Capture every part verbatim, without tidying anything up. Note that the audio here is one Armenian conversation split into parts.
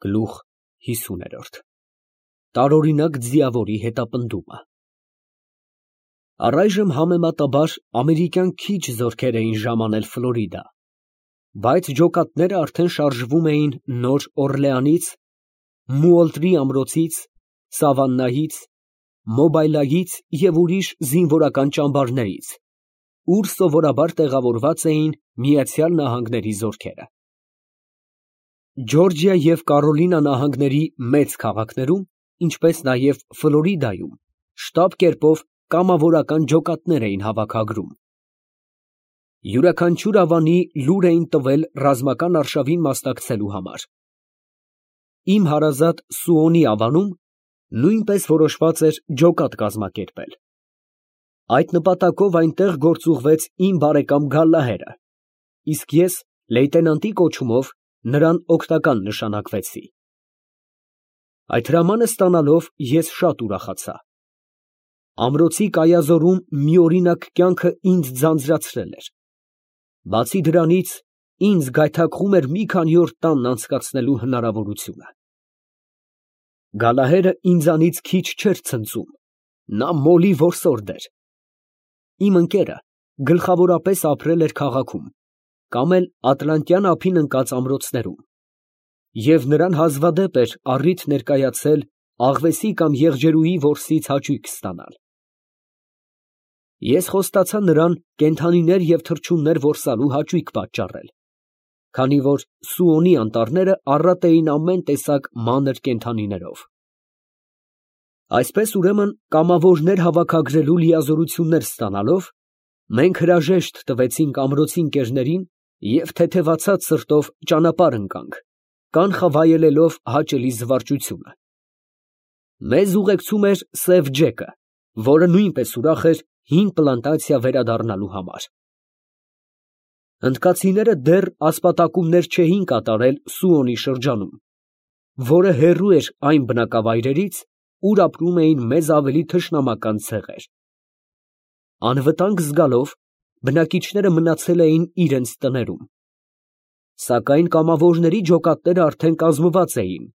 Գլուխ հիսուն Տարօրինակ ձիավորի հետապնդումը Առայժմ համեմատաբար ամերիկյան քիչ զորքեր էին ժամանել Ֆլորիդա, բայց ջոկատները արդեն շարժվում էին Նոր Օռլեանից, Մուոլտրի ամրոցից, Սավաննայից, Մոբայլայից և ուրիշ զինվորական ճամբարներից, ուր սովորաբար տեղավորված էին Միացյալ Նահանգների զորքերը։ Ջորջիա և Կարոլինա նահանգների մեծ քաղաքներում, ինչպես նաև Ֆլորիդայում, շտապ կերպով կամավորական ջոկատներ էին հավաքագրում։ Յուրաքանչյուր ավանի լուր էին տվել ռազմական արշավին մասնակցելու համար։ Իմ հարազատ Սուոնի ավանում նույնպես որոշված էր ջոկատ կազմակերպել։ Այդ նպատակով այնտեղ գործուղվեց իմ բարեկամ Գալլահերը, իսկ ես լեյտենանտի կոչումով նրան օգնական նշանակվեցի։ Այդ հրամանը ստանալով ես շատ ուրախացա։ Ամրոցի կայազորում միօրինակ կյանքը ինձ ձանձրացրել էր։ Բացի դրանից, ինձ գայթակղում էր մի քանի օր տանն անցկացնելու հնարավորությունը։ Գալլահերը ինձանից քիչ չէր ցնծում, նա մոլի որսորդ էր։ Իմ ընկերը գլխավորապես ապրել էր քաղաքում կամ էլ Ատլանտյան ափին ընկած ամրոցներում, և նրան հազվադեպ էր առիթ ներկայացել աղվեսի կամ եղջերուի որսից հաճույք ստանալ։ Ես խոստացա նրան կենդանիներ և թռչուններ որսալու հաճույք պատճառել, քանի որ Սուոնի անտառները առատ էին ամեն տեսակ մանր կենդանիներով։ Այսպես ուրեմն կամավորներ հավաքագրելու լիազորություններ ստանալով, մենք հրաժեշտ տվեցինք ամրոցի ընկերներին և թեթևացած սրտով ճանապարհ ընկանք, կանխավայելելով հաճելի զվարճությունը։ Մեզ ուղեկցում էր սև Ջեկը, որը նույնպես ուրախ էր հին պլանտացիա վերադառնալու համար։ Հնդկացիները դեռ ասպատակումներ չէին կատարել Սուոնի շրջանում, որը հեռու էր այն բնակավայրերից, ուր ապրում էին մեզ ավելի թշնամական ցեղեր։ Անվտանգ զգալով, բնակիչները մնացել էին իրենց տներում։ Սակայն կամավորների ջոկատները արդեն կազմված էին,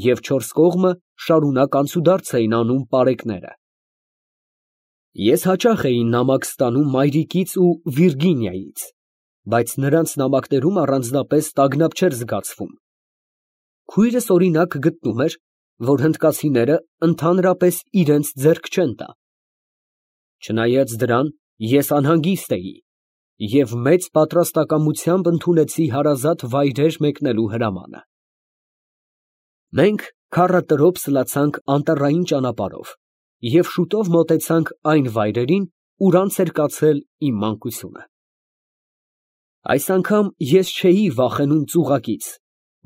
և չորս կողմը շարունակ անցուդարձ էին անում պարեկները։ Ես հաճախ էի նամակ ստանում մայրիկից ու Վիրգինիայից, բայց նրանց նամակներում առանձնապես տագնապ չէր զգացվում։ Քույրս, օրինակ, գտնում էր, որ հնդկացիները ընդհանրապես իրենց ձեռք չեն տա։ Չնայած դրան, ես անհանգիստ էի և մեծ պատրաստակամությամբ ընդունեցի հարազատ վայրեր մեկնելու հրամանը։ Մենք քառատրոփ սլացանք անտառային ճանապարհով և շուտով մոտեցանք այն վայրերին, ուր անց էր կացել իմ մանկությունը։ Այս անգամ ես չէի վախենում ծուղակից,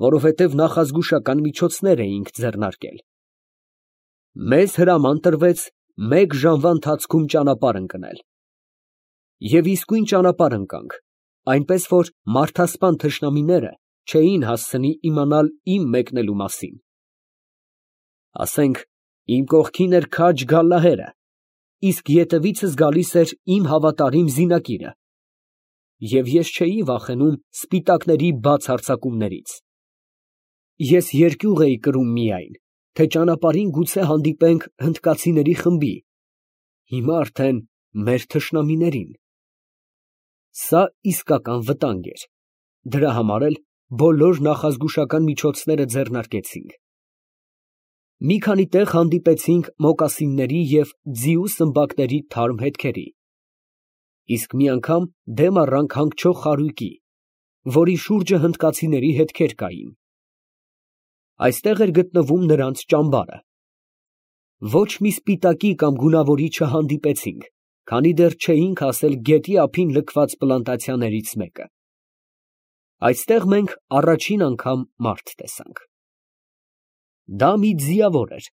որովհետև նախազգուշական միջոցներ էինք ձեռնարկել։ Մեզ հրաման տրվեց մեկ ժամվա ընթացքում ճանապարհ ընկնել։ Եվ իսկույն ճանապարհ ընկանք, այնպես որ մարդասպան թշնամիները չէին հասցնի իմանալ իմ մեկնելու մասին։ Ասենք, իմ կողքին էր քաջ Գալլահերը, իսկ ետևիցս գալիս էր իմ հավատարիմ զինակիրը, և ես չէի վախենում սպիտակների բաց հարձակումներից։ Ես երկյուղ էի կրում միայն, թե ճանապարհին գուցե հանդիպենք հնդկացիների խմբի, հիմա արդեն մեր թշնամիներին։ Սա իսկական վտանգ էր, դրա համար էլ բոլոր նախազգուշական միջոցները ձեռնարկեցինք։ Մի քանի տեղ հանդիպեցինք մոկասինների և ձիու սմբակների թարմ հետքերի, իսկ մի անգամ դեմ առանք հանգչող խարույկի, որի շուրջը հնդկացիների հետքեր կային։ Այստեղ էր գտնվում նրանց ճամբարը։ Ոչ մի սպիտակի կամ գունավորի չհանդիպեցինք, քանի դեռ չէինք հասել գետի ափին լքված պլանտացիաներից մեկը։ Այստեղ մենք առաջին անգամ մարդ տեսանք։ Դա մի ձիավոր էր,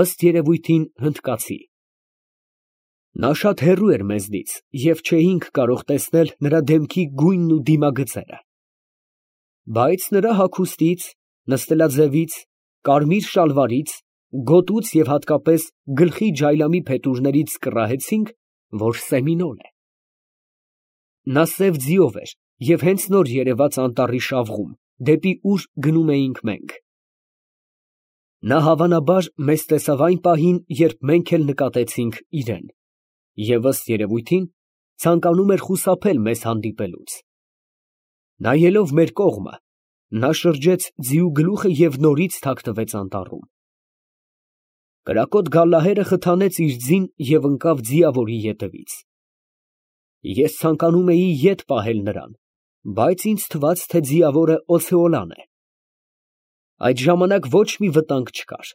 ըստ երևույթին հնդկացի։ Նա շատ հեռու էր մեզնից և չէինք կարող տեսնել նրա դեմքի գույնն ու դիմագծերը։ Բայց նրա հագուստից, նստելաձևից, կարմիր շալվարից, գոտուց և հատկապես գլխի ջայլամի փետուրներից կռահեցինք, որ սեմինոլ է։ Նա սև ձիով էր և հենց նոր երևաց անտառի շավղում, դեպի ուր գնում էինք մենք։ Նա հավանաբար մեզ տեսավ այն պահին, երբ մենք էլ նկատեցինք իրեն, և ըստ երևույթին ցանկանում էր խուսափել մեզ հանդիպելուց։ Նայելով մեր կողմը, նա շրջեց ձիու գլուխը և նորից թաքնվեց անտառում։ Կրակոտ գալլահերը խթանեց իր ձին և ընկավ ձիավորի ետևից։ Ես ցանկանում էի ետ պահել նրան, բայց ինձ թվաց, թե ձիավորը օցեոլան է։ Այդ ժամանակ ոչ մի վտանգ չկար։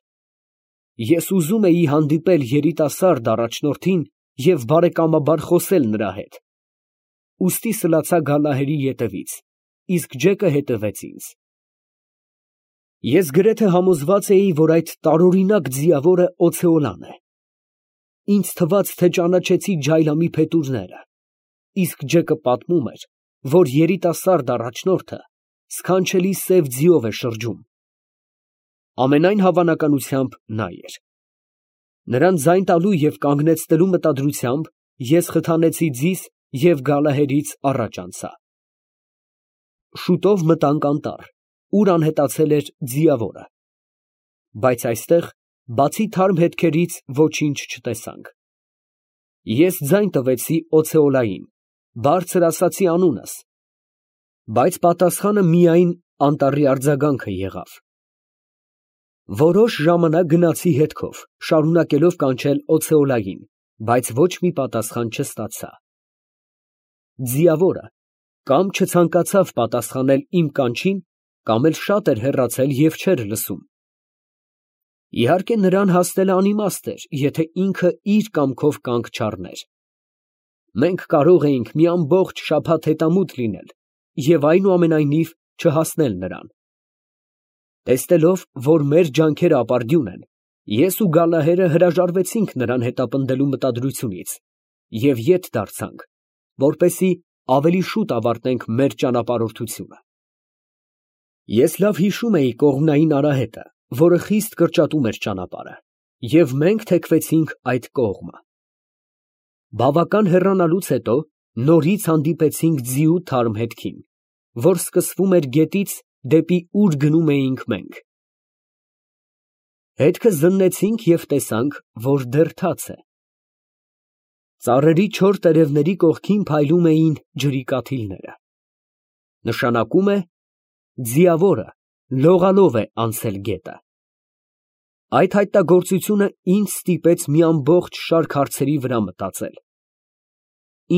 Ես ուզում էի հանդիպել երիտասարդ առաջնորդին և բարեկամաբար խոսել նրա հետ, ուստի սլացա գալլահերի ետևից, իսկ Ջեկը հետևեց ինձ։ Ես գրեթե համոզված էի, որ այդ տարօրինակ ձիավորը օցեոլան է։ Ինձ թվաց, թե ճանաչեցի Ջայլամի փետուրները, իսկ Ջեկը պատմում էր, որ երիտասարդ առաջնորդը սքանչելի սև ձիով է շրջում։ Ամենայն հավանականությամբ նա էր։ Նրան ձայն տալու և կանգնեցնելու մտադրությամբ ես խթանեցի ձիս և գալլահերից առաջ անցա։ Շուտով մտանք անտառ, ուր անհետացել էր ձիավորը, բայց այստեղ, բացի թարմ հետքերից, ոչինչ չտեսանք։ Ես ձայն տվեցի օցեոլային, բարձր ասացի անունս, բայց պատասխանը միայն անտառի արձագանքը եղավ։ Որոշ ժամանակ գնացի հետքով, շարունակելով կանչել օցեոլային, բայց ոչ մի պատասխան չստացա։ Ձիավորը կամ չցանկացավ պատասխանել իմ կանչին, կամ էլ շատ էր հեռացել և չէր լսում։ Իհարկե, նրան հասնելը անիմաստ էր, եթե ինքը իր կամքով կանգ չառներ։ Մենք կարող էինք մի ամբողջ շաբաթ հետամուտ լինել և այնուամենայնիվ չհասնել նրան։ Տեսնելով, որ մեր ջանքերը ապարդյուն են, ես ու գալլահերը հրաժարվեցինք նրան հետապնդելու մտադրությունից և ետ դարձանք, որպեսզի ավելի շուտ ավարտենք մեր ճանապարհորդությունը։ Ես լավ հիշում էի կողմնային արահետը, որը խիստ կրճատում էր ճանապարհը, և մենք թեքվեցինք այդ կողմը։ Բավական հեռանալուց հետո նորից հանդիպեցինք ձիու թարմ հետքին, որ սկսվում էր գետից, դեպի ուր գնում էինք մենք։ Հետքը զննեցինք և տեսանք, որ դեռ թաց է։ Ծառերի չոր տերևների կողքին փայլում էին ջրի կաթիլները։ Նշանակում է, ձիավորը լողալով է անցել գետը։ Այդ հայտնագործությունը ինձ ստիպեց մի ամբողջ շարք հարցերի վրա մտածել։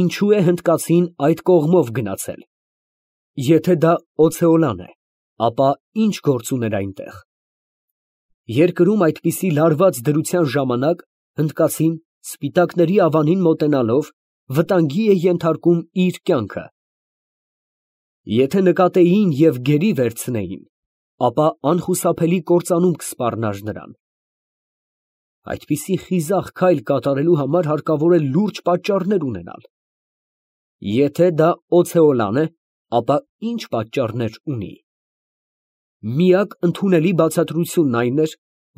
Ինչո՞ւ է հնդկացին այդ կողմով գնացել։ Եթե դա օցեոլան է, ապա ի՞նչ գործ ուներ այնտեղ։ Երկրում այդպիսի լարված դրության ժամանակ հնդկացին, սպիտակների ավանին մոտենալով, վտանգի է ենթարկում իր կյանքը։ Եթե նկատեին և գերի վերցնեին, ապա անխուսափելի կործանում կսպառնար նրան։ Այդպիսի խիզախ քայլ կատարելու համար հարկավոր է լուրջ պատճառներ ունենալ։ Եթե դա օցեոլան է, ապա ի՞նչ պատճառներ ունի։ Միակ ընդունելի բացատրությունն այն էր,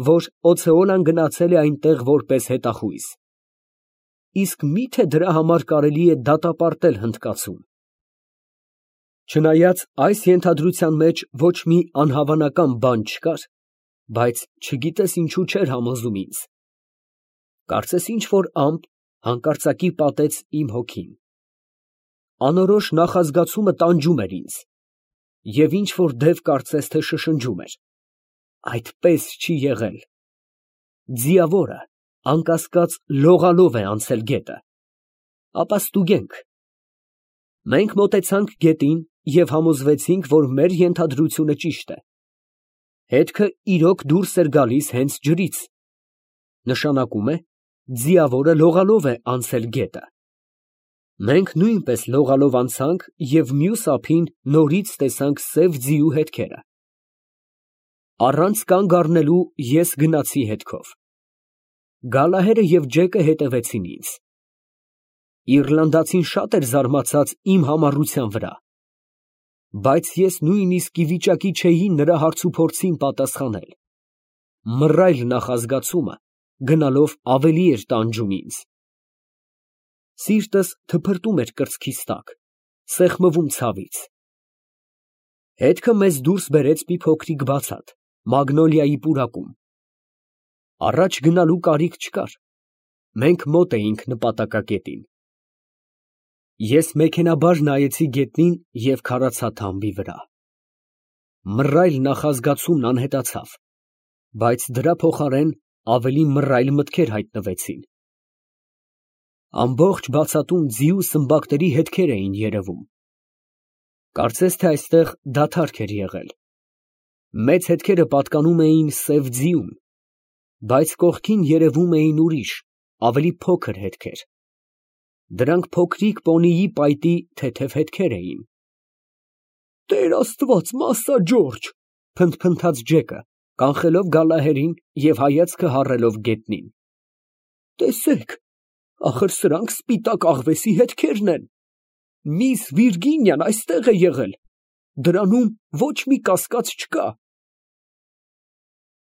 որ օցեոլան գնացել է այնտեղ որպես հետախույզ։ Իսկ մի՞թե դրա համար կարելի է դատապարտել հնդկացուն։ Չնայած այս ենթադրության մեջ ոչ մի անհավանական բան չկար, բայց չգիտես ինչու չէր համոզում ինձ։ Կարծես ինչ֊որ ամպ հանկարծակի պատեց իմ հոգին։ Անորոշ նախազգացումը տանջում էր ինձ, և ինչ֊որ դև կարծես թե շշնջում էր. այդպես չի եղել։ Ձիավորը, անկասկած, լողալով է անցել գետը։ Ապա ստուգենք։ Մենք մոտեցանք գետին և համոզվեցինք, որ մեր ենթադրությունը ճիշտ է։ Հետքը իրոք դուրս էր գալիս հենց ջրից։ Նշանակում է, ձիավորը լողալով է անցել գետը։ Մենք նույնպես լողալով անցանք և մյուս ափին նորից տեսանք սև ձիու հետքերը։ Առանց կանգ առնելու ես գնացի հետքով։ Գալլահերը և Ջեկը հետևեցին ինձ։ Իռլանդացին շատ էր զարմացած իմ համառության վրա, բայց ես նույնիսկ ի վիճակի չէի նրա հարցուփորձին պատասխանել։ Մռայլ նախազգացումը գնալով ավելի էր տանջում ինձ։ Սիրտս թփրտում էր կրծքիս տակ, սեղմվում ցավից։ Հետքը մեզ դուրս բերեց մի փոքրիկ բացատ, մագնոլիայի պուրակում, Առաջ գնալու կարիք չկար, մենք մոտ էինք նպատակակետին։ Ես մեքենայաբար նայեցի գետնին և քարացա թամբի վրա։ Մռայլ նախազգացումն անհետացավ, բայց դրա փոխարեն ավելի մռայլ մտքեր հայտնվեցին։ Ամբողջ բացատում ձիու սմբակների հետքեր էին երևում։ Կարծես թե այստեղ դադարք էր եղել։ Մեծ հետքերը պատկանում էին սև ձիուն, բայց կողքին երևում էին ուրիշ, ավելի փոքր հետքեր։ Դրանք փոքրիկ պոնիի պայտի թեթև հետքեր էին։ «Տեր Աստված, Մասա Ջորջ», փնթփնթաց Ջեկը, կանխելով Գալլահերին և հայացքը հառելով գետնին։ «Տեսեք, ախր սրանք սպիտակ աղվեսի հետքերն են։ Միս Վիրգինիան այստեղ է եղել, դրանում ոչ մի կասկած չկա»։